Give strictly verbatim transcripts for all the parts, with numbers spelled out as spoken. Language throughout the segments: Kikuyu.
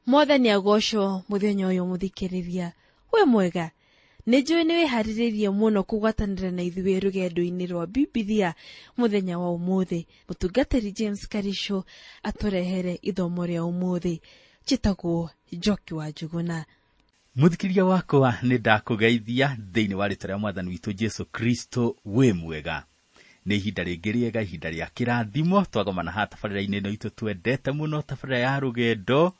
Mwathani agocwo muthenya uyu muthikiriria. We mwega, nĩ njũĩ nĩ wĩharĩrĩirie mũno kũgwatanĩra na ithuĩ rũgendo-inĩ rwa Bibilia mũthenya wa ũmũthĩ. Mũtungatĩri James Karisho atũrehere ithomo rĩa ũmũthĩ. Njĩtagwo Njoki wa Njuguna. Mũthikĩria wakwa, nĩ ndakũgeithia thĩinĩ wa rĩtwa rĩa Mwathani witũ Jesu Kristo. Wĩ mwega? Nĩ ihinda rĩngĩ rĩega, ihinda rĩa kĩrathimo, twagomana haha tabarĩra-inĩ ĩno itũ twendete mũno, tabarĩra ya rũgendo,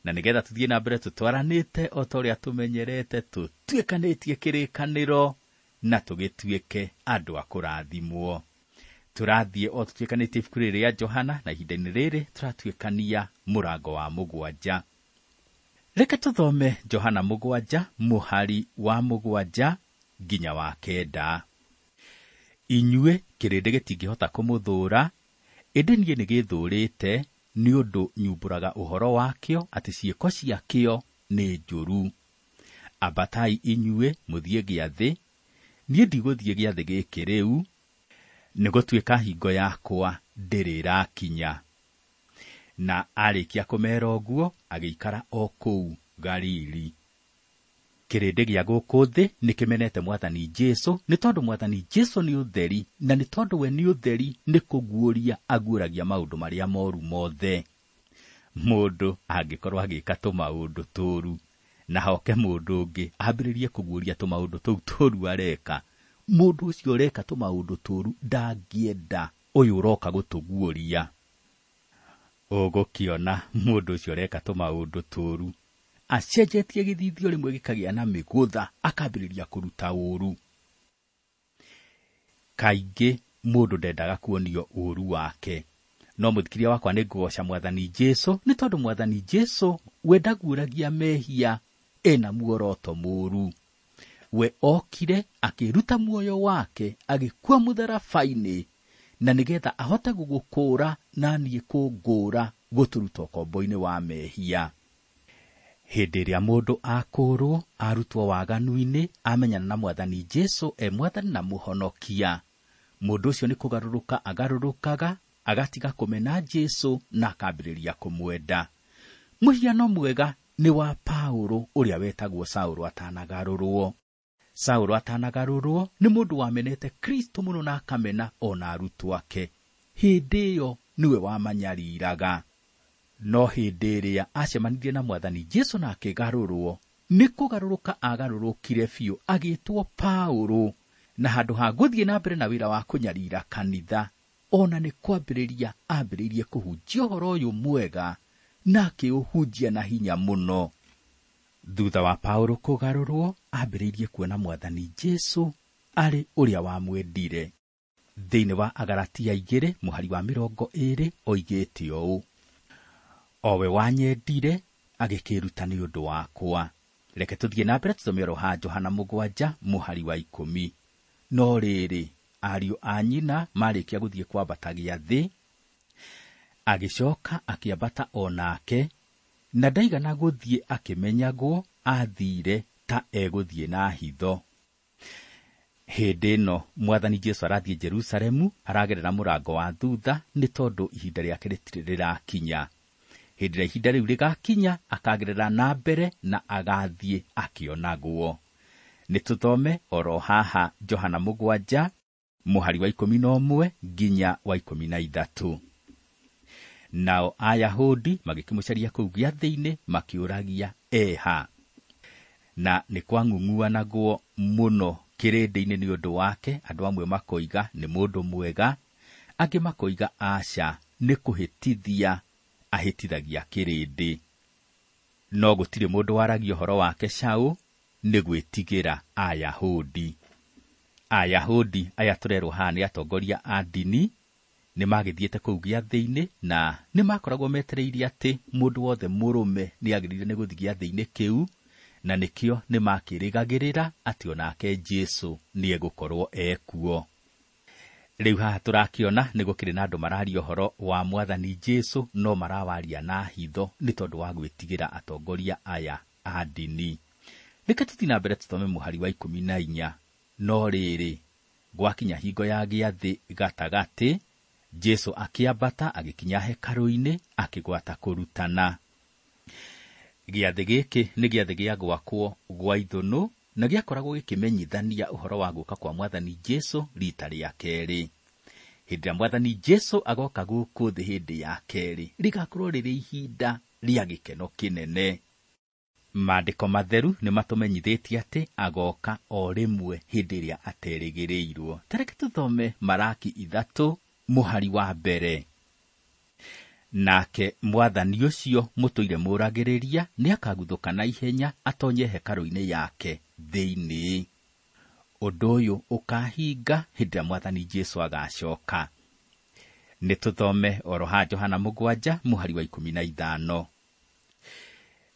na nĩgetha tũthiĩ na mbere tũtwaranĩte o ta ũrĩa tũmenyerete, tũtuĩkanĩtie kĩrĩkanĩro na tũgĩtuĩke andũ a kũrathimwo. Tũrathiĩ o tũtuĩkanĩtie ibuku rĩrĩ rĩa Johana, na ihinda-inĩ rĩrĩ tũratuĩkania mũrango wa mũgwanja. Reke tũthome Johana mũgwanja mũhari wa mũgwanja nginya wa kenda. Inyuĩ kĩrĩndĩ gĩtingĩhota kũmũthũũra, ĩndĩ niĩ nĩgĩthũũrĩte nĩ ũndũ nyumbũraga ũhoro wakĩo atĩ ciĩko ciakĩo nĩ njũru. Ambatai inyuĩ mũthiĩ gĩathĩ, niĩ ndigũthiĩ gĩathĩ gĩkĩ rĩu, nĩ gũtuĩka hingo yakwa ndĩrĩ ĩrakinya. Na arĩkia kũmera ũguo, agĩikara o kũu Galili. Kĩrĩndĩ gĩa gũkũ thĩ nĩ kĩmenete Mwathani Jesu, nĩ tondũ Mwathani Jesu nĩ ũtheri, na nĩ tondũ we nĩ ũtheri, nĩ kũguũria aguũragia maũndũ marĩa moru mothe. Mũndũ angĩkorwo agĩka tũmaũndũ tũru, na hoke mũndũ ũngĩ ambĩrĩrie kũguũria tũmaũndũ tũu tũru areka, mũndũ ũcio ũreka tũmaũndũ tũru ndangĩenda ũyũ ũroka gũtũguũria. Ũgũkĩona mũndũ ũcio ũreka tũmaũndũ tũru acenjetie gĩthithio rĩmwe gĩkagĩa na mĩgũtha, akambĩrĩria kũruta ũru. Kaingĩ mũndũ ndendaga kuonio ũru wake, no mũthikĩria wakwa, nĩ ngũgoca Mwathani Jesu, nĩ tondũ Mwathani Jesu we ndaguũragia mehia ena muoroto mũru. We okire akĩruta muoyo wake, agĩkua mũtharaba-inĩ, na nĩgetha ahote gũgũkũũra na niĩ kũngũũra, gũtũruta ũkombo-inĩ wa mehia. Hĩndĩ ĩrĩa mũndũ akũũrwo, arutwo waganu-inĩ, amenyana na Mwathani Jesu e Mwathani na Mũhonokia, mũndũ ũcio nĩ kũgarũrũka agarũrũkaga, agatiga kũmena Jesu na akambĩrĩria kũmwenda. Mũhiano mwega nĩ wa Paulo ũrĩa wetagwo Saũlũ atanagarũrwo. Saũlũ atanagarũrwo nĩ mũndũ wamenete Kristo mũno na akamena ona arutwo ake. Hĩndĩ ĩyo nĩwe wamanyariraga. No hĩndĩ ĩrĩa acemanirie na Mwathani Jesu na akĩgarũrwo, nĩ kũgarũrũka agarũrũkire biũ, agĩtwo Paulo, na handũ ha gũthiĩ na mbere na wĩra wa kũnyarira kanitha, ona nĩ kwambĩrĩria ambĩrĩirie kũhunjia ũhoro ũyũ mwega na akĩũhunjia na hinya mũno. Thutha wa Paulo kũgarũrwo, ambĩrĩirie kuona Mwathani Jesu arĩ ũrĩa wamwendire. Thĩinĩ wa Agalatia igĩrĩ mũhari wa mĩrongo ĩrĩ oigĩte ũũ: o we wanyendire agĩkĩĩruta nĩ ũndũ wakwa. Reke tũthiĩ na mbere tũthome oro ha Johana mũgwanja mũhari wa ikũmi. No rĩrĩ, ariũ a nyina marĩkia gũthiĩ kwambata gĩathĩ, agĩcoka akĩambata o nake, na ndaigana gũthiĩ akĩmenyagwo, athire ta egũthiĩ na hitho. Hĩndĩ ĩno Mwathani Jesu arathiĩ Jerusalemu, aragerera mũrango wa thutha, nĩ tondũ ihinda rĩake rĩtirĩ rĩrakinya. Hĩndĩ ĩrĩa ihinda rĩu rĩgakinya, akagerera na mbere na agathiĩ akĩonagwo. Nĩ tũthome oro haha Johana mũgwanja mũhari wa ikũmi na ũmwe nginya wa ikũmi na ithatũ. Nao Ayahudi magĩkĩmũcaria kũu gĩathĩ-inĩ, makĩũragia eha. Na nĩ kwang'ung'uanagwo mũno kĩrĩndĩ-inĩ nĩ ũndũ wake. Andũ amwe makoiga nĩ mũndũ mwega, angĩ makoiga aca, nĩ kũhĩtithia ahĩtithagia kĩrĩndĩ. No gũtirĩ mũndũ waragia ũhoro wake caũ, nĩ gwĩtigĩra Ayahudi. Ayahudi aya tũrerwo haha nĩ atongoria a ndini, nĩ magĩthiĩte kũu gĩathĩ-inĩ, na nĩ makoragwo metereire atĩ mũndũ wothe mũrũme nĩ agĩrĩire nĩ gũthiĩ gĩathĩ-inĩ kĩu, na nĩkĩo nĩ makĩrĩgagĩrĩra atĩ onake Jesu nĩ egũkorwo ekuo. Rĩu haha tũrakĩona nĩ gũkĩrĩ na andũ mararia ũhoro wa Mwathani Jesu, no marawaria na hitho nĩ tondũ wa gwĩtigĩra atongoria aya a ndini. Reke tũthiĩ na mbere tũthome mũhari wa ikũmi na inya. No rĩrĩ, gwakinya hingo ya gĩathĩ gatagatĩ, Jesu akĩambata agĩkinya hekarũ-inĩ, akĩgwata kũrutana. Gĩathĩ gĩkĩ nĩ gĩathĩ gĩa gwakwo gwa ithũnũ na gĩakoragwo gĩkĩmenyithania ũhoro wa gũka kwa Mwathani Jesũ rita rĩa kerĩ. Hĩndĩ ĩrĩa Mwathani Jesũ agoka gũkũ thĩ hĩndĩ ya kerĩ, rĩgakorwo rĩrĩ ihinda rĩa gĩkeno kĩnene. Maandĩko matheru nĩ matũmenyithĩtie atĩ agoka o rĩmwe hĩndĩ ĩrĩa aterĩgĩrĩirwo. Ta reke tũthome Maraki ithatũ mũhari wa mbere. Nake Mwathani ũcio mũtũire mũragĩrĩria nĩakaguthũka na ihenya atonye hekarũ-inĩ yake thĩinĩ. Ũndũ ũyũ ũkahinga hĩndĩ ĩrĩa Mwathani Jesũ agacoka. Nĩ tũthome oro ha Johana mũgwanja mũhari wa ikũmi na ithano.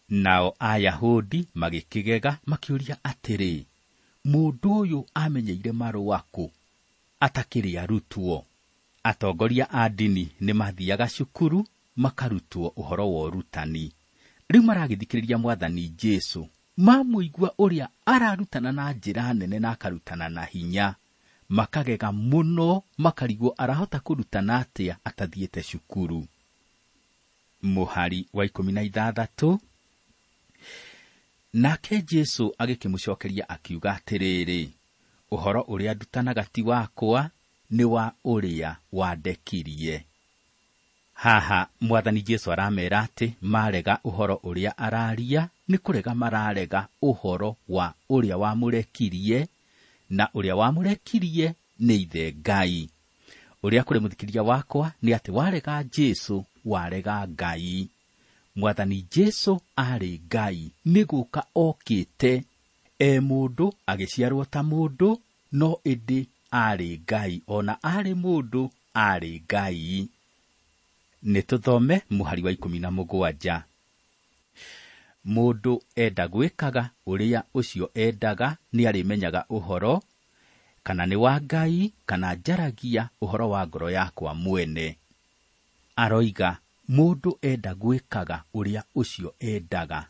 Nao Ayahudi magĩkĩgega makĩũria atĩrĩ, mũndũ ũyũ amenyeire marũa kũ atakĩrĩ arutwo? Atongoria a ndini nĩ mathiaga cukuru makarutwo ũhoro wa ũrutani. Rĩu maragĩthikĩrĩria Mwathani Jesũ, mamũigua ũrĩa ararutana na njĩra nene na akarutana na hinya, makagega mũno, makarigwo arahota kũrutana atĩa atathiĩte cukuru. Mũhari wa ikũmi na ithathatũ. Nake Jesũ agĩkĩmũcokeria akiuga atĩrĩrĩ, ũhoro ũrĩa ndutanaga ti wakwa, nĩ wa ũrĩa wandekirie. Haha Mwathani Jesũ aramera atĩ marega ũhoro ũrĩa araria nĩ kũrega mararega ũhoro wa ũrĩa wamũrekirie, na ũrĩa wamũrekirie nĩ Ithe Ngai. Ũrĩa kũrĩ mũthikĩria wakwa nĩ atĩ warega Jesũ, warega Ngai. Mwathani Jesũ arĩ Ngai, nĩ gũka okĩte e mũndũ, agĩciarwo ta mũndũ, no ĩndĩ arĩ Ngai, ona arĩ mũndũ arĩ Ngai. Nĩ tũthome mũhari wa ikũmi na mũgwanja. Mũndũ enda gwĩkaga ũrĩa ũcio endaga nĩ arĩmenyaga ũhoro, kana nĩ wa Ngai, kana njaragia ũhoro wa ngoro yakwa mwene. Aroiga mũndũ enda gwĩkaga ũrĩa ũcio endaga.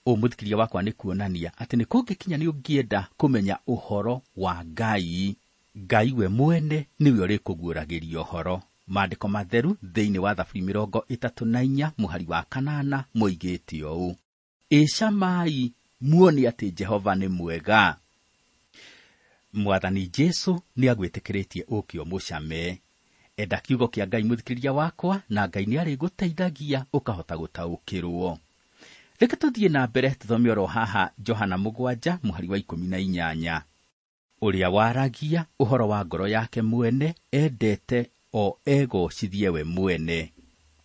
Ũũ mũthikĩria wakwa nĩ kuonania atĩ nĩ kũngĩkinya nĩ ũngĩenda kũmenya ũhoro wa Ngai, Ngai we mwene nĩwe ũrĩkũguũragĩria ũhoro. Maandĩko matheru thĩinĩ wa Thaburi mĩrongo ĩtatũ na inya mũhari wa kanana moigĩte ũũ, ĩcamai muone atĩ Jehova nĩ mwega. Mwathani Jesũ nĩ agwĩtĩkĩrĩtie ũke ũmũcame. Enda kiugo kĩa Ngai mũthikĩrĩria wakwa, na Ngai nĩ arĩgũteithagia ũkahota gũtaũkĩrwo. Reke tũthiĩ na mbere tũthome oro haha Johana mũgwanja mũhari wa ikũmi na inyanya. Ũrĩa waragia ũhoro wa ngoro yake mwene endete o egocithie we mwene,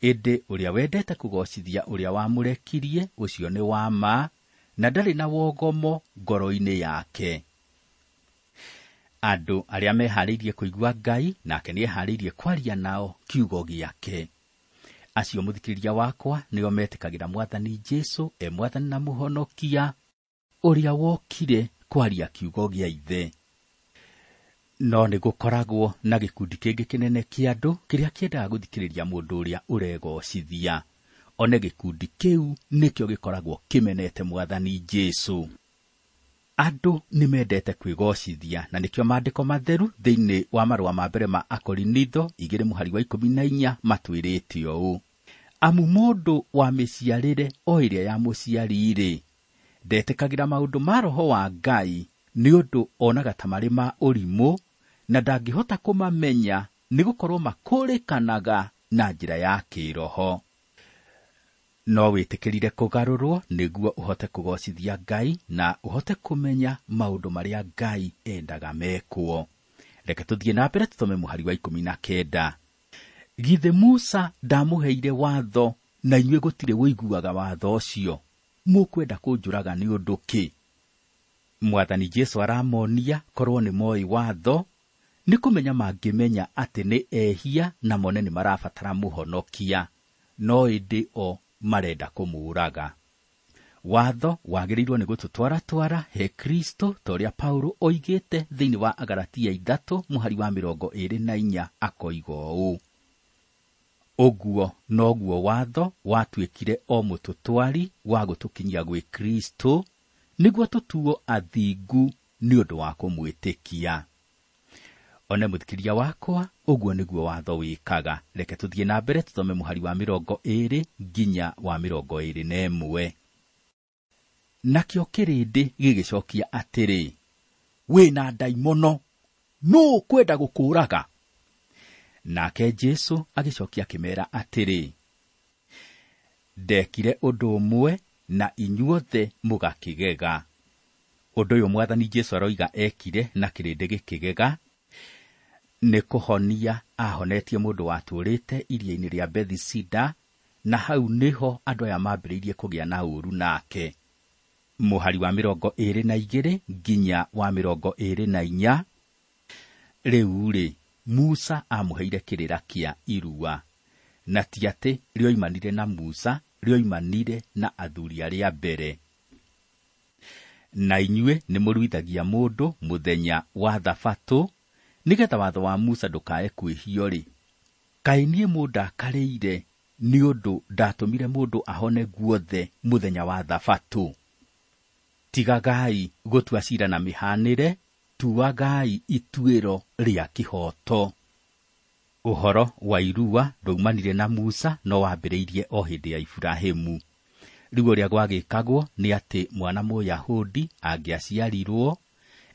ĩndĩ ũrĩa wendete kũgocithia ũrĩa wamũrekirie ũcio nĩ wa ma, na ndarĩ na wogomo ngoro-inĩ yake. Andũ arĩa meharĩirie kũigua Ngai, nake nĩeharĩirie kwaria nao kiugo gĩake. Acio mũthikĩrĩria wakwa nĩo metĩkagĩra Mwathani Jesũ e Mwathani na Mũhonokia, ũrĩa wokire kwaria kiugo gĩa Ithe. No nĩ gũkoragwo na gĩkundi kĩngĩ kĩnene kĩa andũ kĩrĩa kĩendaga gũthikĩrĩria mũndũ ũrĩa ũregocithia. One gĩkundi kĩu nĩkĩo gĩkoragwo kĩmenete Mwathani Jesũ. Andũ nĩ mendete kwĩgocithia, na nĩkĩo maandĩko matheru thĩinĩ wa marũa ma mbere ma Akorinitho igĩrĩ mũhari wa ikũmi na inya matwĩrĩte ũũ, amu mũndũ wa mĩciarĩre o ĩrĩa ya mũciari-rĩ, ndetĩkagĩra maũndũ ma Roho wa Ngai, nĩ ũndũ onaga ta marĩ ma ũrimũ, na ndangĩhota kũmamenya, nĩ gũkorwo makũrĩkanaga na njĩra ya kĩĩroho. No wĩtĩkĩrire kũgarũrwo nĩguo ũhote kũgocithia Ngai na ũhote kũmenya maũndũ marĩa Ngai endaga mekwo. Reke tũthiĩ na mbere tũthome mũhari wa ikũmi na kenda. Githĩ Musa ndamũheire watho, na inyuĩ gũtirĩ ũiguaga watho ũcio? Mũkwenda kũnjũraga nĩ ũndũ kĩ? Mwathani Jesũ aramonia korwo nĩ moĩ watho, nĩ kũmenya mangĩmenya atĩ nĩ ehia na mone nĩ marabatara mũhonokia, no ĩndĩ o marenda kũmũũraga. Watho wagĩrĩirwo nĩ gũtũtwaratwara he Kristo, ta ũrĩa Paulo oigĩte thĩinĩ wa Agalatia ithatũ mũhari wa mĩrongo ĩĩrĩ na inya akoiga ũũ, ũguo noguo watho watuĩkire o mũtũtwari wa gũtũkinyia gwĩ Kristo, nĩguo tũtuo athingu nĩ ũndũ wa kũmwĩtĩkia. One mũthikĩria wakwa, Ũguo nĩguo watho wĩkaga. Reke tũthiĩ na mbere tũthome mũhari wa mĩrongo ĩĩrĩ nginya wa mĩrongo ĩĩrĩ na ĩmwe. Nakĩo kĩrĩndĩ gĩgĩcokia atĩrĩ, wĩna ndaimono, nũũ ũkwenda gũkũũraga? Nake Jesũ agĩcokia akĩmeera atĩrĩ, ndekire ũndũ ũmwe na inyuothe mũgakĩgega. Ũndũ ũyũ Mwathani Jesũ aroiga ekire na kĩrĩndĩ gĩkĩgega nĩ kũhonia ahonetie mũndũ watũũrĩte iria-inĩ rĩa Bethesida, na hau nĩho andũ aya mambĩrĩirie kũgĩa na ũũru nake. Mũhari wa mĩrongo ĩĩrĩ na igĩrĩ nginya wa mĩrongo ĩĩrĩ na inya. Rĩu-rĩ, Musa amũheire kĩrĩra kĩa irua, na ti atĩ rĩoimanire na Musa, rĩoimanire na athuri arĩa mbere. Na inyuĩ nĩmũruithagia mũndũ mũthenya wa Thabatũ, nĩgetha watho wa Musa ndũkae kwĩhio-rĩ. Kaĩ niĩ mũndakarĩire nĩ ũndũ ndatũmire mũndũ ahone guothe mũthenya wa Thabatũ? Tigagai gũtua ciira na mĩhanĩre, tuagai ituĩro rĩa kĩhooto. Ũhoro wa irua ndwaumanire na Musa, no wambĩrĩirie o hĩndĩ ya Iburahĩmu. Rĩu ũrĩa gwagĩkagwo nĩ atĩ mwana Mũyahudi angĩaciarirwo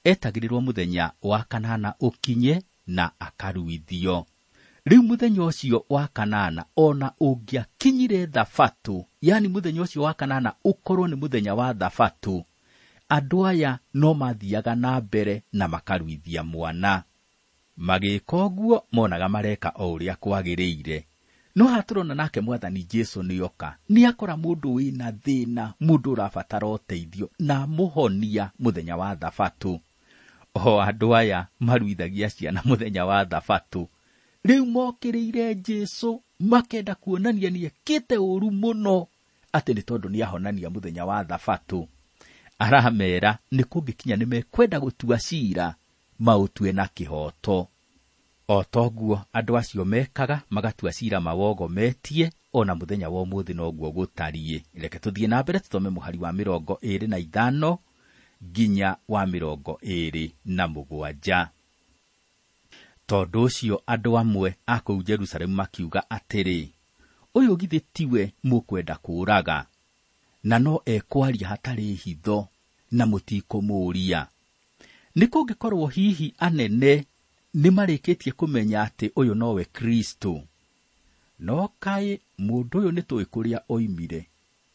etagĩrĩrwo mũthenya wa kanana ũkinye na akaruithio. Rĩu mũthenya ũcio wa kanana ona ũngĩakinyire Thabatũ, yani mũthenya ũcio wa kanana ũkorwo nĩ mũthenya wa Thabatũ, andũ aya no mathiaga na mbere na makaruithia mwana. Magĩka ũguo monaga mareka o ũrĩa kwagĩrĩire. No haha tũrona nake Mwathani Jesũ nĩoka, nĩakora mũndũ wĩna thĩna, mũndũ ũrabatara ũteithio, na amũhonia mũthenya wa Thabatũ. O andũ aya maruithagia ciana mũthenya wa Thabatũ, rĩu mokĩrĩire Jesũ makenda kuonania nĩekĩte ũũru mũno atĩ nĩ tondũ nĩahonania mũthenya wa Thabatũ. Aramera nĩ kũngĩkinya nĩmekwenda gũtua ciira, maũtue na kĩhooto. O toguo andũ acio mekaga, magatua ciira mawogometie, ona mũthenya wa ũmũthĩ noguo gũtariĩ. Reke tũthiĩ na mbere tũthome mũhari wa mĩrongo ĩĩrĩ na ithano nginya wa mĩrongo ĩĩrĩ na mũgwanja. Tondũ ũcio andũ amwe a kũu Jerusalemu makiuga atĩrĩ, ũyũ githĩ tiwe mũkwenda kũũraga? Na no ekwaria hatarĩ hitho, na mũtikũmũũria. Nĩ kũngĩkorwo hihi anene nĩmarĩkĩtie kũmenya atĩ ũyũ nowe Kristo? No kaĩ mũndũ ũyũ nĩtũĩ kũrĩa oimire,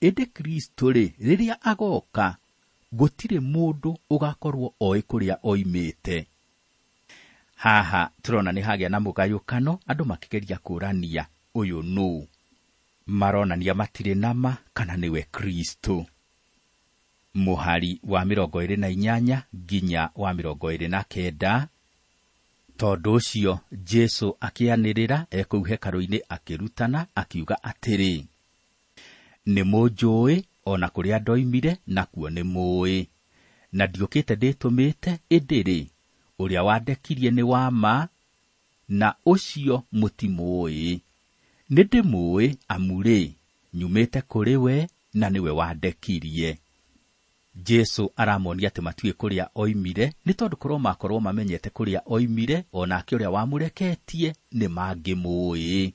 ĩndĩ Kristo-rĩ, rĩrĩa agoka, gũtirĩ mũndũ ũgakorwo oĩ kũrĩa oimĩte. Haha tũrona nĩ hagĩa na mũgayũkano, andũ makĩgeria kũũrania ũyũ nũũ. Maronania matirĩ nama kana nĩwe Kristo. Mũhari wa mĩrongo ĩĩrĩ na inyanya nginya wa mĩrongo ĩĩrĩ na kenda. Tondũ ũcio Jesũ akĩanĩrĩra e kũu hekarũ-inĩ akĩrutana, akiuga atĩrĩ, nĩmũnjũĩ o na kũrĩa ndoimire nakuo nĩmũũĩ, na ndiũkĩte ndĩtũmĩte, ĩndĩ-rĩ, ũrĩa wandekirie nĩ wa ma, na ũcio mũtimũũĩ. Nĩndĩmũũĩ amu-rĩ, nyumĩte kũrĩ we na nĩwe wandekirie. Jesũ aramonia atĩ matiũĩ kũrĩa oimire, nĩ tondũ korwo makorwo mamenyete kũrĩa oimire, o nake ũrĩa wamũreketie nĩ mangĩmũũĩ.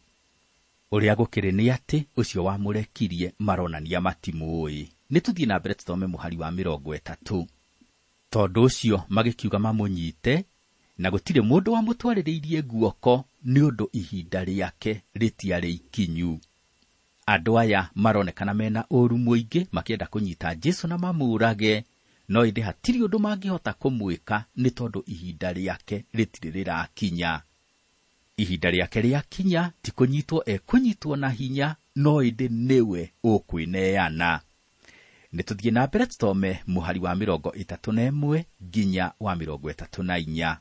Ũrĩa gũkĩrĩ nĩ atĩ ũcio wamũrekirie maronania matimũũĩ. Nĩ tũthiĩ na mbere tũthome mũhari wa mĩrongo ĩtatũ. Tondũ ũcio magĩkiuga mamũnyite, na gũtirĩ mũndũ wamũtwarĩrĩirie guoko nĩ ũndũ ihinda rĩake rĩtiarĩ ikinyu. Andũ aya maronekana mena ũũru mũingĩ makĩenda kũnyita Jesũ na mamũũrage, no ĩndĩ hatirĩ ũndũ mangĩhota kũmwĩka nĩ tondũ ihinda rĩake rĩtirĩ rĩrakinya. Ihinda rĩake rĩakinya ti kũnyitwo ekũnyitwo na hinya, no ĩndĩ nĩwe ũkwĩneana. Nĩ tũthiĩ na mbere tũthome mũhari wa mĩrongo ĩtatũ na ĩmwe nginya wa mĩrongo ĩtatũ na inya.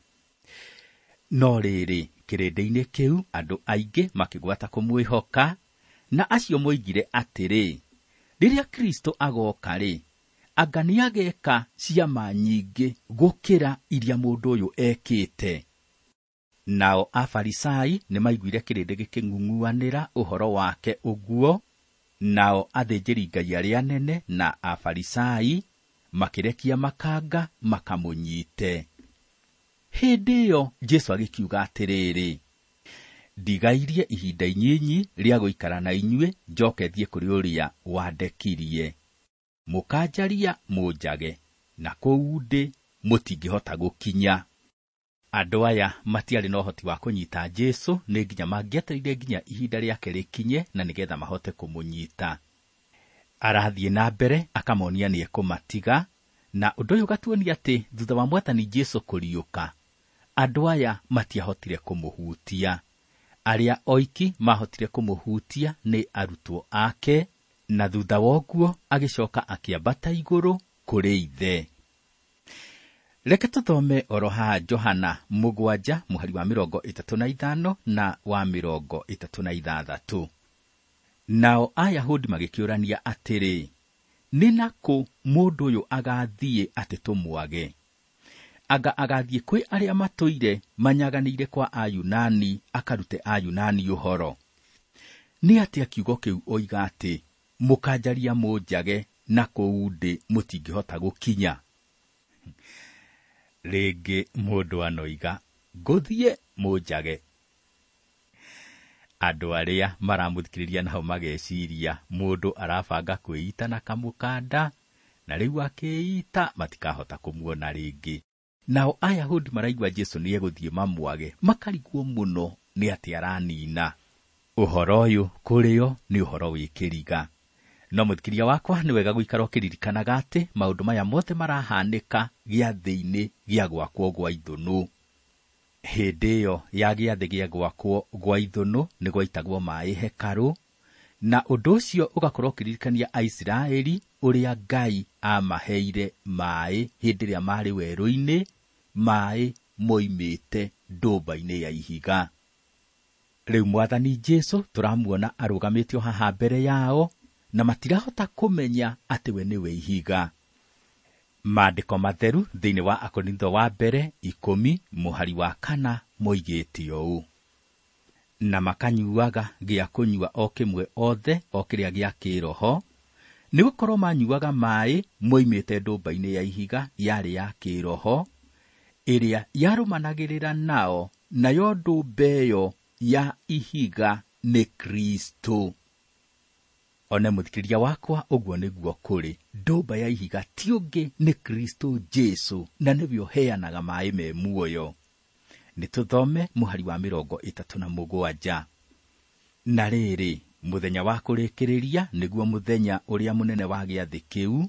No rĩrĩ, kĩrĩndĩ-inĩ kĩu andũ aingĩ makĩgwata kũmwĩhoka, na acio moigire atĩrĩ, rĩrĩa Kristo agoka-rĩ, anga nĩageka ciama nyingĩ gũkĩra iria mũndũ ũyũ ekĩte. Nao Afarisai nĩmaiguire kĩrĩndĩ gĩkĩng'ung'uanĩra ũhoro wake ũguo, nao athĩnjĩri-Ngai arĩa anene na Afarisai makĩrekia makanga makamũnyite. Hĩndĩ ĩyo Jesũ agĩkiuga atĩrĩrĩ, Ndigairie ihinda inyinyi rĩa gũikara na inyuĩ, njoke thiĩ kũrĩ ũrĩa wandekirie. Mũkanjaria mũnjage, na kũu ndĩ mũtingĩhota gũkinya. Andũ aya matiarĩ na ũhoti wa kũnyita Jesũ, nĩ nginya mangĩetereire nginya ihinda rĩake rĩkinye na nĩgetha mahote kũmũnyita. Arathiĩ na mbere akamonia nĩ ekũmatiga, na ũndũ ũyũ ũgatuonia atĩ thutha wa Mwathani Jesũ kũriũka, andũ aya matiahotire kũmũhutia. Arĩa oiki mahotire kũmũhutia nĩ arutwo ake, na thutha wa ũguo agĩcoka akĩambata igũrũ kũrĩ Ithe. Reke tũthome oro haha Johana mũgwanja mũhari wa mĩrongo ĩtatũ na ithano na wa mĩrongo ĩtatũ na ithathatũ. Nao Ayahudi magĩkĩũrania atĩrĩ, nĩ nakũ mũndũ ũyũ agathiĩ atĩ tũmwage? Anga agathiĩ kwĩ arĩa matũire manyaganĩire kwa Ayunani akarute Ayunani ũhoro? Nĩ atĩa kiugo kĩu oiga atĩ mũkanjaria mũnjage na kũu ndĩ mũtingĩhota gũkinya? Rĩngĩ mũndũ anoiga ngũthiĩ mũnjage. Andũ arĩa maramũthikĩrĩria nao mageciria mũndũ arabanga kwĩita na kamũkanda, na rĩu akĩĩita matikahota kũmuona rĩngĩ. Nao Ayahudi maraigua Jesũ nĩ egũthiĩ mamwage, makarigwo mũno nĩ atĩ aranina. Ũhoro ũyũ kũrĩo nĩ ũhoro wĩ kĩriga. No mũthikĩria wakwa, nĩ wega gũikara ũkĩririkanaga atĩ maũndũ maya mothe marahanĩka gĩathĩ-inĩ gĩa gwakwo gwa ithũnũ. Hĩndĩ ĩyo ya gĩathĩ gĩa gwakwo gwa ithũnũ nĩ gwaitagwo maĩ hekarũ, na ũndũ ũcio ũgakorwo ũkĩririkania Aisiraeli ũrĩa Ngai amaheire maĩ hĩndĩ ĩrĩa marĩ werũ-inĩ, maĩ moimĩte ndũmba-inĩ ya ihiga. Rĩu Mwathani Jesũ tũramuona arũgamĩtio haha mbere yao, na matirahota kũmenya atĩ we nĩwe ihiga. Maandĩko matheru thĩinĩ wa Akorintho wa mbere ikũmi mũhari wa kana moigĩte ũũ: na makanyuaga gĩa kũnyua o kĩmwe othe o kĩrĩa gĩa kĩroho, nĩgũkorwo manyuaga maĩ moimĩte ndũmba-inĩ ya ihiga yarĩ ya kĩroho, ĩrĩa yarũmanagĩrĩra nao, nayo ndũmba ĩyo ya ihiga nĩ Kristũ. One mũthikĩrĩria wakwa, ũguo nĩguo kũrĩ. Ndũmba ya ihiga ti ũngĩ nĩ Kristũ Jesũ, na nĩwe ũheanaga maĩ me muoyo. Nĩ tũthome mũhari wa mĩrongo ĩtatũ na mũgwanja. Na rĩrĩ, mũthenya wa kũrĩkĩrĩria, nĩguo mũthenya ũrĩa mũnene wa gĩathĩ kĩu,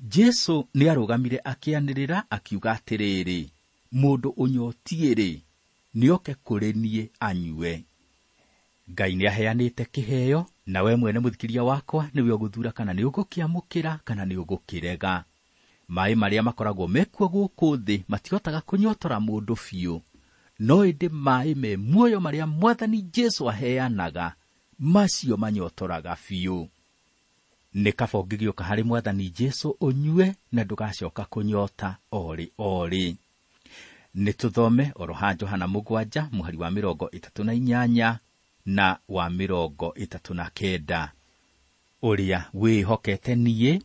Jesũ nĩarũgamire akĩanĩrĩra akiuga atĩrĩrĩ, mũndũ ũnyotiĩ-rĩ, nĩoke kũrĩ niĩ anyue. Ngai nĩaheanĩte kĩheo, na we mwene mũthikĩria wakwa nĩwe ũgũthura kana nĩ ũgũkĩamũkĩra kana nĩ ũgũkĩrega. Maĩ marĩa makoragwo mekuo gũkũ thĩ matihotaga kũnyotora mũndũ biũ, no ĩndĩ maĩ me muoyo marĩa Mwathani Jesũ aheanaga, macio manyotoraga biũ. Nĩ kaba ũngĩgĩũka harĩ Mwathani Jesũ ũnyue na ndũgacoka kũnyota orĩ orĩ. Nĩ tũthome oro ha Johana mũgwanja mũhari wa mĩrongo ĩtatũ na inyanya na wa mĩrongo ĩtatũ na kenda. Ũrĩa wĩhokete niĩ,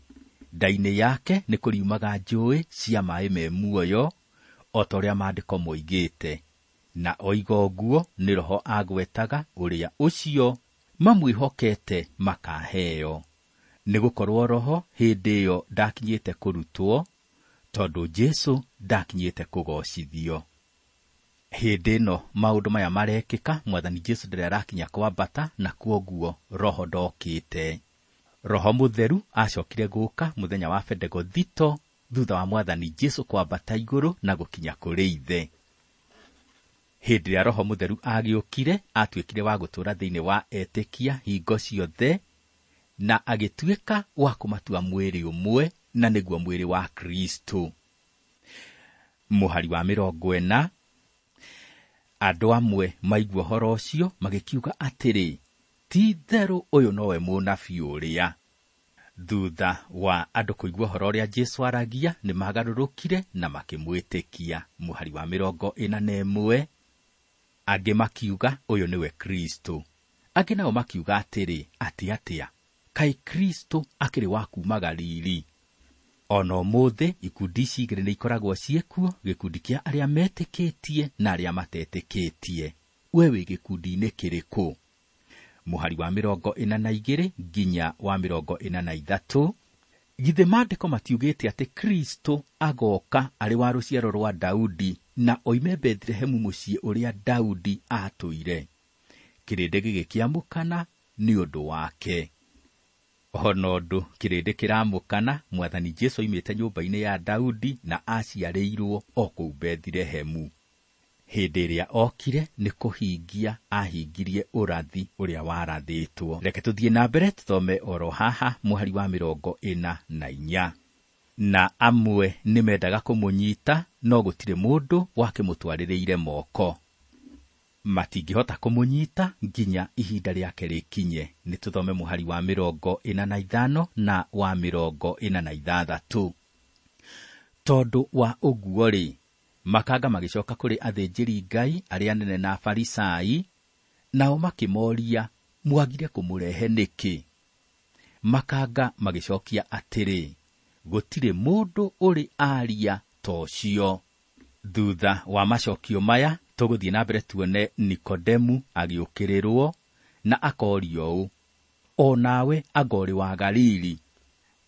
nda-inĩ yake nĩ kũriumaga njũĩ cia maĩ me muoyo, o ta ũrĩa maandĩko moigĩte. Na oiga ũguo nĩ Roho agwetaga ũrĩa ũcio mamwĩhokete makaheo. Nĩgũkorwo Roho hĩndĩ ĩyo ndakinyĩte kũrutwo, tondũ Jesũ ndakinyĩte kũgocithio. Hĩndĩ ĩno maũndũ maya marekĩka, Mwathani Jesũ ndarĩ arakinya kwambata, na kwoguo Roho ndokĩte. Roho Mũtheru acokire gũka mũthenya wa Bendegothito thutha wa Mwathani Jesũ kwambata igũrũ na gũkinya kũrĩ Ithe. Hĩndĩ ĩrĩa Roho Mũtheru agĩũkire, atuĩkire wa gũtũũra thĩinĩ wa etĩkia hingo ciothe, na agĩtuĩka wa kũmatua mwĩrĩ ũmwe, na nĩguo mwĩrĩ wa Kristũ. Mũhari wa mĩrongo ĩna, andũ amwe maigua ũhoro ũcio magĩkiuga atĩrĩ, ti-itherũ ũyũ nowe mũnabii ũrĩa. Thutha wa andũ kũigua ũhoro ũrĩa Jesũ aragia, nĩmagarũrũkire na makĩmwĩtĩkia. Mũhari wa mĩrongo ĩna na ĩmwe, angĩ makiuga ũyũ nĩwe Kristũ. Angĩ nao makiuga atĩrĩ, atĩ atĩa, kaĩ Kristũ akĩrĩ wa kuuma Galili? Ona ũmũthĩ ikundi ici igĩrĩ nĩ ikoragwo ciĩkuo, gĩkundi kĩa arĩa metĩkĩtie na arĩa matetĩkĩtie. We wĩ gĩkundi-inĩ kĩrĩkũ? Mũhari wa mĩrongo ĩna na igĩrĩ nginya wa mĩrongo ĩna na ithatũ. Githĩ maandĩko matiugĩte atĩ Kristo agoka arĩ wa rũciaro rwa Daudi na oime Bethlehemu mũciĩ ũrĩa Daudi aatũire? Kĩrĩndĩ gĩgĩkĩamũkana nĩ ũndũ wake. Ona ũndũ kĩrĩndĩ kĩramũkana, Mwathani Jesu oimĩte nyũmba-inĩ ya Daudi na aciarĩirwo o kũu Bethlehemu. Hĩndĩ ĩrĩa okire nĩ kũhingia ahingirie ũrathi ũrĩa warathĩtwo. Reke tũthiĩ na mbere tũthome oro haha mũhari wa mĩrongo ĩna na inya. Na amwe nĩmendaga kũmũnyita, no gũtirĩ mũndũ wakĩmũtwarĩrĩire moko. Matingĩhota kũmũnyita nginya ihinda rĩake rĩkinye. Nĩ tũthome mũhari wa mĩrongo ĩna na ithano na wa mĩrongo ĩna na ithathatũ. Tondũ wa ũguo-rĩ, makanga magĩcoka kũrĩ athĩnjĩri Ngai arĩa anene na Afarisai, nao makĩmoria, mwagire kũmũrehe nĩkĩ? Makanga magĩcokia atĩrĩ, gũtirĩ mũndũ ũrĩ aria ta ũcio. Thutha wa macokio maya, tũgũthiĩ na mbere tuone Nikodemu agĩũkĩrĩrwo na akorio ũũ, o nawe anga ũrĩ wa Galili?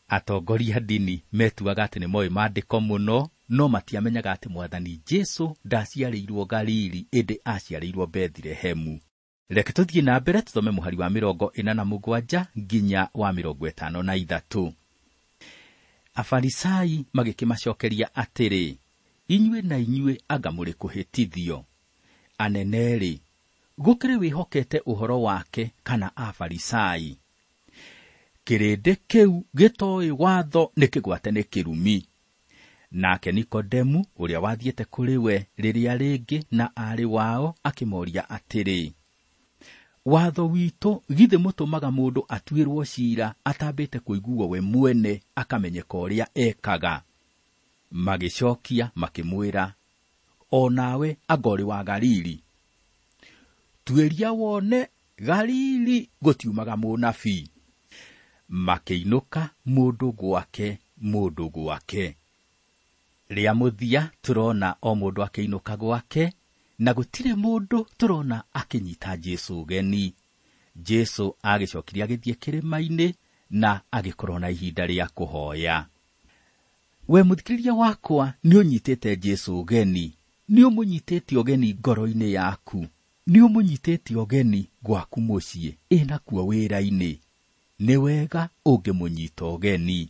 Atongoria ndini metuaga atĩ nĩmoĩ maandĩko mũno, no matiamenyaga atĩ Mwathani Jesu ndaciarĩirwo Galili, ĩndĩ aciarĩirwo Bethlehemu. Reke tũthiĩ na mbere tũthome mũhari wa mĩrongo ĩna na mũgwanja nginya wa mĩrongo ĩtano na ithatũ. Afarisai magĩkĩmacokeria atĩrĩ, inyuĩ na inyuĩ anga mũrĩ kũhĩtithio. Anene-rĩ, gũkĩrĩ wĩhokete ũhoro wake kana Afarisai? Kĩrĩndĩ kĩu gĩtoĩ watho nĩ kĩgwate nĩ kĩrumi. Nake Nikodemu, ũrĩa wathiĩte kũrĩ we rĩrĩa rĩngĩ na aarĩ wao, akĩmoria atĩrĩ, watho witũ githĩ mũtũmaga mũndũ atuĩrwo ciira atambĩte kũiguo we mwene akamenyeka ũrĩa ekaga? Magĩcokia makĩmwĩra, o nawe anga ũrĩ wa Galili? Tuĩria wone, Galili gũtiumaga mũnabii. Makĩinũka mũndũ gwake, mũndũ gwake. Rĩa mũthia tũrona o mũndũ akĩinũka gwake, na gũtirĩ mũndũ tũrona akĩnyita Jesu ũgeni. Jesu agĩcokirie agĩthiĩ kĩrĩma-inĩ na agĩkorwo na ihinda rĩa kũhoya. We mũthikĩrĩria wakwa, nĩ ũnyitĩte Jesu ũgeni, nĩ ũmũnyitĩte ũgeni ngoro-inĩ yaku, nĩ ũmũnyitĩte ũgeni gwaku mũciĩ, ĩ nakuo wĩra-inĩ. Nĩ wega ũngĩmũnyita ũgeni.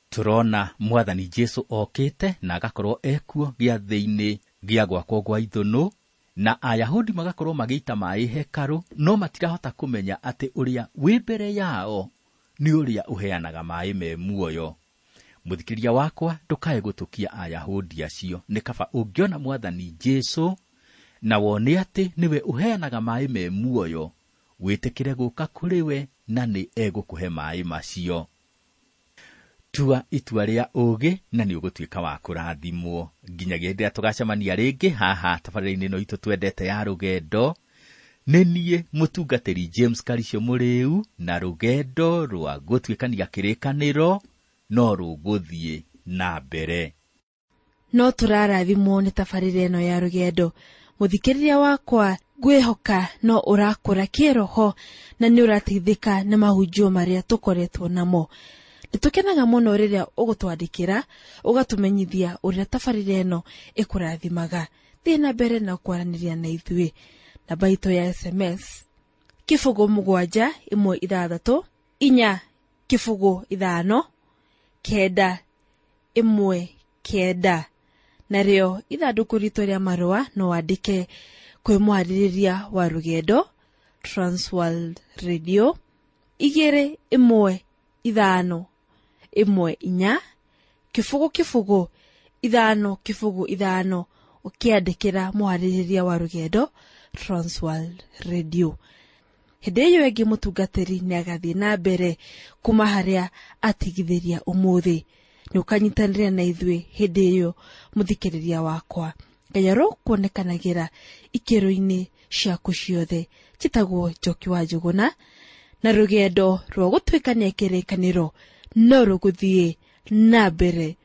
Tũrona Mwathani Jesu okĩte na agakorwo ekuo gĩathĩ-inĩ gĩa gwakwo gwa ithũnũ, na Ayahudi magakorwo magĩita maĩ hekarũ, no matirahota kũmenya atĩ ũrĩa wĩ mbere yao nĩ ũrĩa ũheanaga maĩ me muoyo. Mũthikĩrĩria wakwa, ndũkae gũtũkia Ayahudi acio. Nĩ kaba ũngĩona Mwathani Jesu na wone atĩ nĩwe ũheanaga maĩ me muoyo, wĩtĩkĩre gũka kũrĩ we na nĩ egũkũhe maĩ macio. Tua itua rĩa ũũgĩ na nĩ ũgũtuĩka wa kũrathimwo. Nginyagia hĩndĩ ĩrĩa tũgacemania rĩngĩ haha tabarĩra-inĩ ĩno itũ twendete ya rũgendo, nĩ niĩ mũtungatĩri James Karisho Mũrĩu, na rũgendo rwa gũtuĩkania kĩrĩkanĩro no rũgũthiĩ na mbere. No tũrarathimwo nĩ tabarĩra ĩno ya rũgendo. Mũthikĩrĩria wakwa, ngwĩhoka no ũrakũra kĩroho na nĩ ũrateithĩka nĩ mahunjio marĩa tũkoretwo namo. Nĩtũkenaga mũno rĩrĩa ũgũtwandĩkĩra, ũgatũmenyithia ũrĩa tabarĩra ĩno ĩkũrathimaga. Thiĩ na mbere na kwaranĩria na ithuĩ. Namba itũ ya S M S kĩbũgũ mũgwanja ĩmwe ithathatũ inya kĩbũgũ ithano kenda ĩmwe kenda. Narĩo ithandũkũ ritũ rĩa marũa no wandĩke kwĩ mwarĩrĩria wa rũgendo Transworld Radio igĩrĩ ĩmwe ithano ĩmwe inya kĩbũgũ kĩbũgũ ithano kĩbũgũ ithano, ũkĩandĩkĩra mwarĩrĩria wa rũgendo Transworld Radio. Hĩndĩ ĩyo ĩngĩ mũtungatĩri nĩagathiĩ na mbere kuma harĩa atigithĩria ũmũthĩ. Nĩ ũkanyitanĩra na ithuĩ hĩndĩ ĩyo mũthikĩrĩria wakwa. Ngai arokuonekanagĩra ikĩro-inĩ ciaku ciothe. Njĩtagwo Njoki wa Njũgũna, na rũgendo rwa gũtuĩkania kĩrĩkanĩro no rũgũthiĩ na mbere.